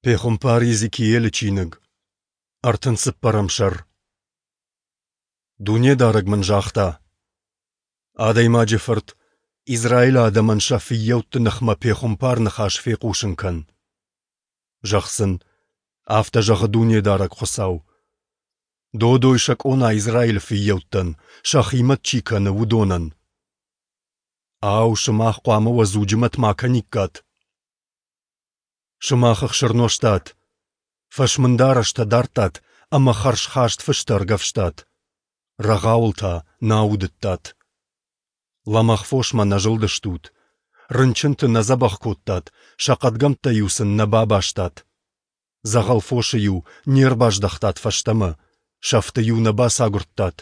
Пехуымпар Йезекиелы чиныг, 34-ӕм сӕр. Дунедарӕг мын загъта: Адӕймаджы фырт, Израилы адӕмӕн сӕ фыййӕутты ныхмӕ пехуымпар ныхас фехъусын кӕн. Зӕгъ сын: Афтӕ зӕгъы Дунедарӕг Хуыцау: Додой сӕ къона Израилы фыййӕуттӕн, сӕхи мӕт чи кӕны, уыдонӕн. Ау, сымах хъуамӕ уӕ дзуджы мӕт ма кӕниккат? Сымах ӕхсыр нозтат, фӕсмын дарӕстӕ дардтат ӕмӕ хӕрзхаст фыстӕ ӕргӕвстат, рӕгъауыл та нӕ аудыдтат. Лӕмӕгъ фосмӕ нӕ зылдыстут, рынчынты нӕ дзӕбӕх кодтат, сӕ хъӕдгӕмттӕ-иу сын нӕ бабастат. Дзӕгъӕл фосы-иу не рбаздӕхтат фӕстӕмӕ, сӕфты-иу нӕ бацагуырдтат,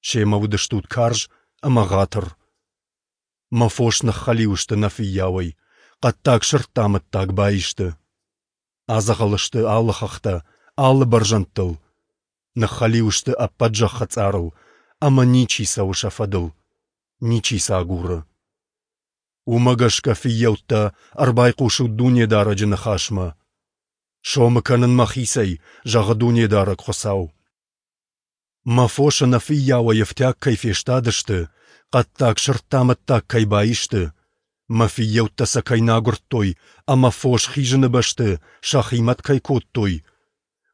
семӕ уыдыстут карз ӕмӕ ӕгъатыр. Мӕ фос ныххӕлиу сты нӕ фыййауӕй, хъӕддаг сырдты амӕттаг баисты. Адзӕгъӕл сты алы хӕхтӕ, алы бӕрзӕндтыл. Ныххӕлиу сты ӕппӕт зӕххы цъарыл, ӕмӕ ничи цӕуы сӕ фӕдыл, ничи сӕ агуры. Уымӕ гӕсгӕ, фыййӕуттӕ, ӕрбайхъусут Дунедарӕджы ныхасмӕ. Сомы кӕнын мӕхицӕй, зӕгъы Дунедарӕг Хуыцау. Мӕ фос ӕнӕ фыййауӕй ӕфтиаг кӕй фестадысты, хъӕддаг сырдты амӕттаг кӕй баисты, мӕ фыййӕуттӕ сӕ кӕй нӕ агуырдтой ӕмӕ фос хизыны бӕсты сӕхи мӕт кӕй кодтой,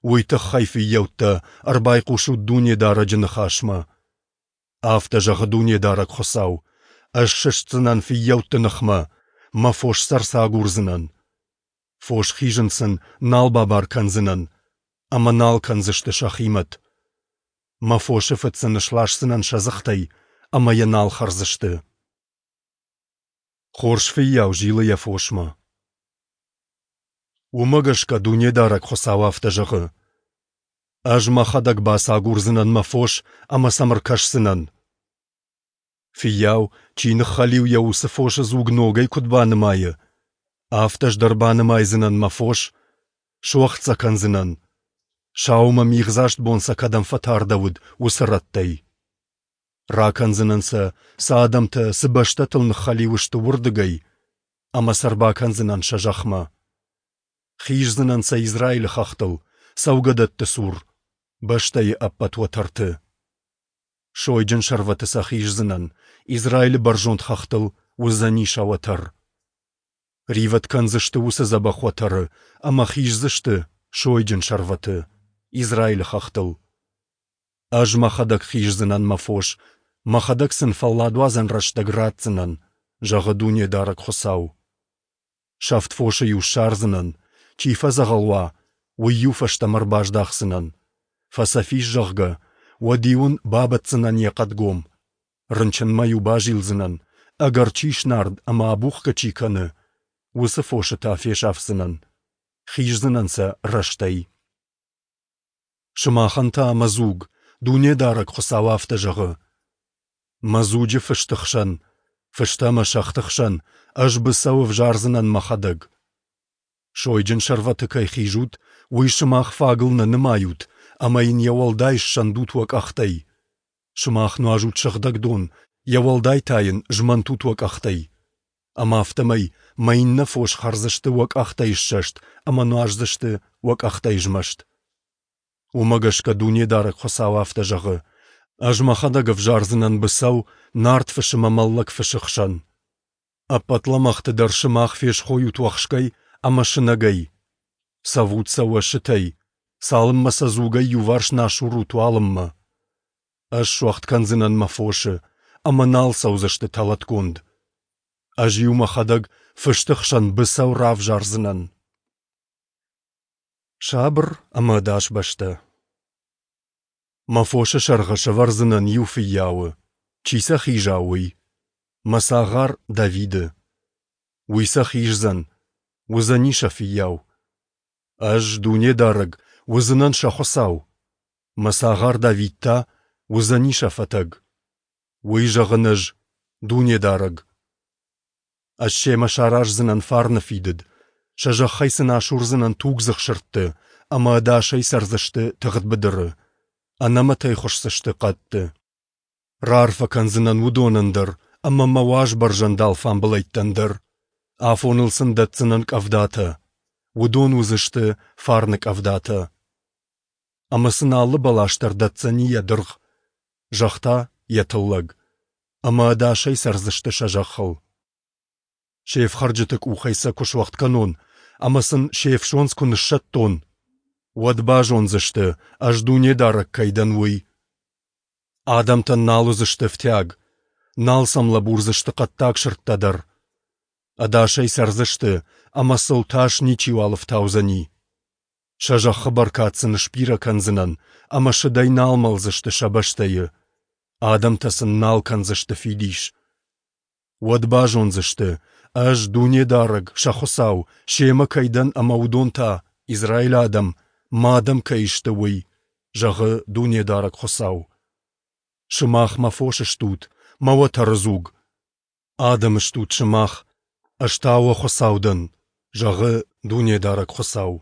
уый тыххӕй, фыййӕуттӕ, ӕрбайхъусут Дунедарӕджы ныхасмӕ. Афтӕ зӕгъы Дунедарӕг Хуыцау, Ӕз сыстдзынӕн фыййӕутты ныхмӕ, мӕ фос сӕ ӕрцагурдзынӕн. Фос хизын сын нал бабар кӕндзынӕн, ӕмӕ нал кӕндзысты сӕхи мӕт. Мӕ фосы фыд сын сласдзынӕн сӕ дзыхтӕй, ӕмӕ йӕ нал хӕрдзысты. Хорз фыййау зилы йӕ фосмӕ. Уымӕ гӕсгӕ Дунедарӕг Хуыцау афтӕ зӕгъы: Ӕз мӕхӕдӕг бацагурдзынӕн мӕ фос ӕмӕ сӕм ӕркӕсдзынӕн. Фыййау, чи ныххӕлиу йӕ уыцы фосы дзуг ногӕй куыд банымайы, афтӕ ӕз дӕр банымайдзынӕн мӕ фос, суӕгъд сӕ кӕндзынӕн, саумӕ мигъдзаст бон сӕ кӕдӕм фӕтардӕуыд, уыцы рӕттӕй. Ракӕндзынӕн сӕ, цы адӕмтӕ, цы бӕстӕтыл ныххӕлиу сты, уырдыгӕй, ӕмӕ сӕ ӕрбакӕндзынӕн сӕ зӕхмӕ. Хиздзынӕн сӕ Израилы хӕхтыл, цӕугӕдӕтты цур, бӕстӕйы ӕппӕт уӕтӕрты. Сойджын сӕрвӕты сӕ хиздзынӕн, Израилы бӕрзонд хӕхтыл уыдзӕни сӕ уӕтӕр. Ривӕд кӕндзысты уыцы дзӕбӕх уӕтӕры ӕмӕ хиздзысты сойджын сӕрвӕты, Израилы хӕхтыл. Ӕз мӕхӕдӕг хиздзынӕн мӕ фос, мӕхӕдӕг сын фӕлладуадзӕн рӕстӕг ратдзынӕн, зӕгъы Дунедарӕг Хуыцау. Сӕфт фосы-иу ссардзынӕн, чи фӕдзӕгъӕл уа, уый-иу фӕстӕмӕ ӕрбаздахдзынӕн. Фӕцӕф ис, зӕгъгӕ, уӕд-иу ын бабӕтдзынӕн йӕ хъӕдгом. Рынчынмӕ-иу базилдзынӕн, ӕгӕр чи снард ӕмӕ абухгӕ чи кӕны, уыцы фосы та фесафдзынӕн, хиздзынӕн сӕ рӕстӕй. Сымахӕн та мӕ дзуг, Дунедарӕг Хуыцау афтӕ зӕгъы: Мӕ дзуджы фысты хсӕн, фыстӕ ӕмӕ сӕгъты хсӕн ӕз быцӕу ӕвзардзынӕн мӕхӕдӕг. Сойджын сӕрвӕты кӕй хизут, уый сымах фагыл нӕ нымайут ӕмӕ йын йӕ уӕлдай ссӕндут уӕ къӕхтӕй. Сымах нуазут сыгъдӕг дон, йӕ уӕлдай та йын змӕнтут уӕ къӕхтӕй. Ӕмӕ афтӕмӕй мӕ иннӕ фос хӕрдзысты уӕ къӕхтӕй ссӕст ӕмӕ нуаздзысты уӕ къӕхтӕй змӕст. Уымӕ гӕсгӕ Дунедарӕг Хуыцау афтӕ зӕгъы: Ӕз мӕхӕдӕг ӕвзардзынӕн быцӕу нард фысы мӕ мӕллӕг фысы хсӕн. Ӕппӕт лӕмӕгъты дӕр сымах фесхойут уӕхскӕй ӕмӕ сынӕгӕй. Цӕвут сӕ уӕ сытӕй, цалынмӕ сӕ дзугӕй иуварс нӕ асурут, уалынмӕ. Ӕз суӕгъд кӕндзынӕн мӕ фосы, ӕмӕ нал цӕудзысты тӕлӕтгонд. Ӕз-иу мӕхӕдӕг фысты хсӕн быцӕу равзардзынӕн. Сабыр ӕмӕ ӕдас бӕстӕ. Мӕ фосы сӕргъы сӕвӕрдзынӕн иу фыййауы, чи сӕ хиза, уый, мӕ цагъар Давиды. Уый сӕ хиздзӕн, уыдзӕни сӕ фыййау. Ӕз, Дунедарӕг, уыдзынӕн сӕ Хуыцау, мӕ цагъар Давид та уыдзӕни сӕ фӕтӕг. Уый зӕгъын ӕз, Дунедарӕг. Ӕз семӕ сараздзынӕн фарны фидыд, сӕ зӕххӕй сын асурдзынӕн тугдзых сырдты, ӕмӕ ӕдасӕй цӕрдзысты тыгъд быдыры, ӕнӕмӕтӕй хуысдзысты хъӕдты. Раарфӕ кӕндзынӕн уыдонӕн дӕр ӕмӕ мӕ уаз бӕрзӕнд алфамбылӕйттӕн дӕр. Афоныл сын дӕтдзынӕн къӕвдатӕ. Уыдон уыдзысты фарны къӕвдатӕ. Ӕмӕ сын алы бӕлас дӕр дӕтдзӕни йӕ дыргъ, зӕхх та йӕ тыллӕг, ӕмӕ ӕдасӕй цӕрдзысты сӕ зӕххыл. Се фхӕрджыты къухӕй сӕ куы суӕгъд кӕнон ӕмӕ сын се фсондз куы ныссӕттон, уӕд базондзысты, Ӕз Дунедарӕг кӕй дӕн, уый. Адӕмтӕн нал уыдзысты ӕфтиаг, нал сӕм лӕбурдзысты хъӕддаг сырдтӕ дӕр. Ӕдасӕй цӕрдзысты, ӕмӕ сыл тас ничиуал ӕфтаудзӕни. Сӕ зӕххы бӕркад сын сбирӕ кӕндзынӕн, ӕмӕ сыдӕй нал мӕлдзысты сӕ бӕстӕйы. Адӕмтӕ сын нал кӕндзысты фидис. Уӕд базондзысты, Ӕз, Дунедарӕг, сӕ Хуыцау, семӕ кӕй дӕн ӕмӕ уыдон та, Израилы адӕм, Мӕ адӕм кӕй сты, уый, зӕгъы Дунедарӕг Хуыцау. Сымах Мӕ фос стут, Мӕ уӕтӕры дзуг. Адӕм стут сымах, Ӕз та уӕ Хуыцау дӕн, зӕгъы Дунедарӕг Хуыцау.